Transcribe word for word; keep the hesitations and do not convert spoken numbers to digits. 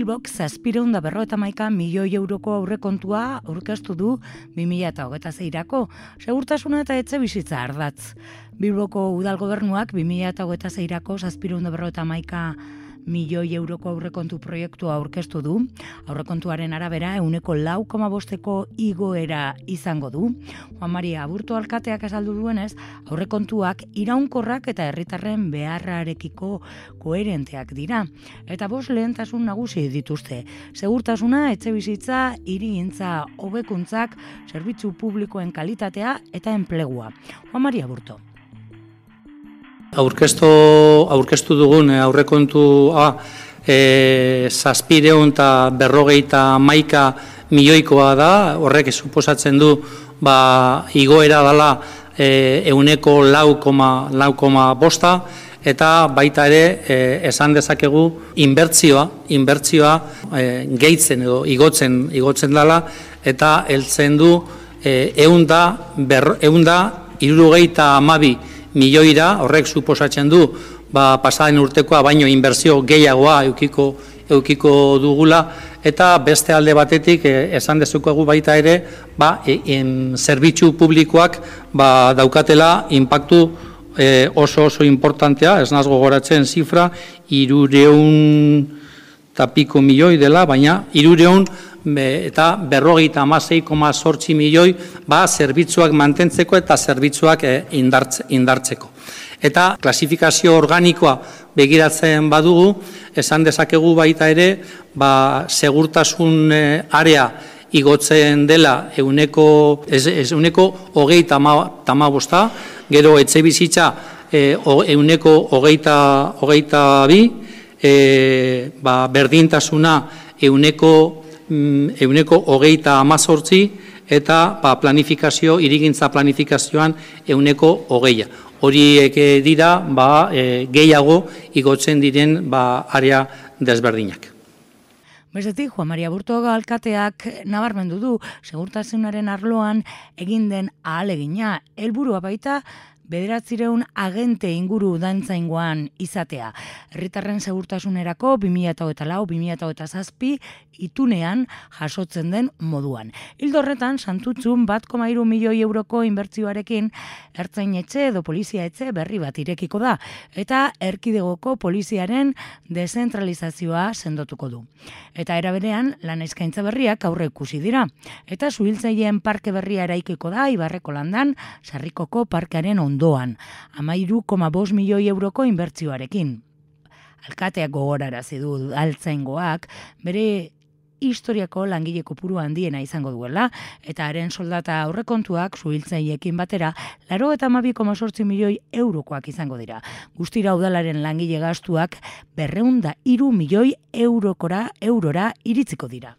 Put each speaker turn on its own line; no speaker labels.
Bilbok zazpiehun eta berrogeita hamaika milioi euroko aurrekontua aurkeztu du bi mila hogeita seirako, segurtasuna eta etxebizitza ardatz. Bilboko udal gobernuak bi mila hogeita seirako zazpiehun eta berrogeita hamaika milioi euroko aurrekontu proiektua aurkeztu du. Aurrekontuaren arabera ehuneko lau koma bosteko igoera izango du. Juan Maria Aburto alkateak azaldu duenez, aurrekontuak iraunkorrak eta herritarren beharrarekiko koherenteak dira. Eta bost lehentasun nagusi dituzte. Segurtasuna, etxebizitza, hirigintza, hobekuntzak, zerbitzu publikoen kalitatea eta enplegua. Juan Maria Aburto.
Aurkeztu, aurkeztu dugun aurrekontua e, zazpiehun eta berrogeita hamaika milioikoa da, horrek suposatzen du ba, igoera dela e, ehuneko lau koma bosta, eta baita ere e, esan dezakegu inbertsioa, inbertsioa e, gehitzen edo igotzen, igotzen dela, eta heltzen du e, ehun eta hirurogeita hamabi milioira, horrek suposatzen du ba, pasaden urtekoa baino inbertsio gehiagoa eukiko, eukiko dugula, eta beste alde batetik eh, esan dezukegu baita ere ba, en, zerbitzu publikoak ba, daukatela inpaktu eh, oso oso importantea, ez naz gogoratzen zifra, hirureun eta piko milioi dela, baina hirureun eta berrogeita hamasei koma zortzi milioi ba, zerbitzuak mantentzeko eta zerbitzuak indartzeko. Eta klasifikazio organikoa begiratzen badugu, esan dezakegu baita ere, ba, segurtasun area igotzen dela ehuneko hogeita hamabosta, gero etxebizitza ehuneko hogeita bi, ba, berdintasuna ehuneko ehuneko hogeita hamazortzi eta ba, planifikazio, hirigintza planifikazioan ehuneko hogeia. Horiek dira ba, e, gehiago igotzen diren ba, area desberdinak.
Bestetik, Juan Maria Aburto alkateak nabarmendu du segurtasunaren arloan egin den ahalegina, helburua baita bederatziehun agente inguru dantzaingoan izatea. Herritarren segurtasunerako bi mila hogeita lau bi mila hogeita zazpi itunean jasotzen den moduan. Ildo horretan, Santutxun bat koma hiru milioi euroko inbertsioarekin ertzainetxe edo poliziaetxe berri bat irekiko da, eta erkidegoko poliziaren dezentralizazioa sendotuko du. Eta era berean, lan eskaintza berriak aurre ikusi dira. Eta suhiltzaileen parke berria eraikiko da Ibarreko Landan, Sarrikoko parkearen ondoan, hamairu koma bost milioi euroko inbertsioarekin. Alkateak gogorarazi du udaltzaingoak bere historiako langile kopuru handiena izango duela, eta haren soldata aurrekontuak suhiltzaileekin batera laurogeita hamabi koma zortzi milioi eurokoak izango dira. Guztira udalaren langile gastuak berrehun eta hiru milioi eurokora eurora iritziko dira.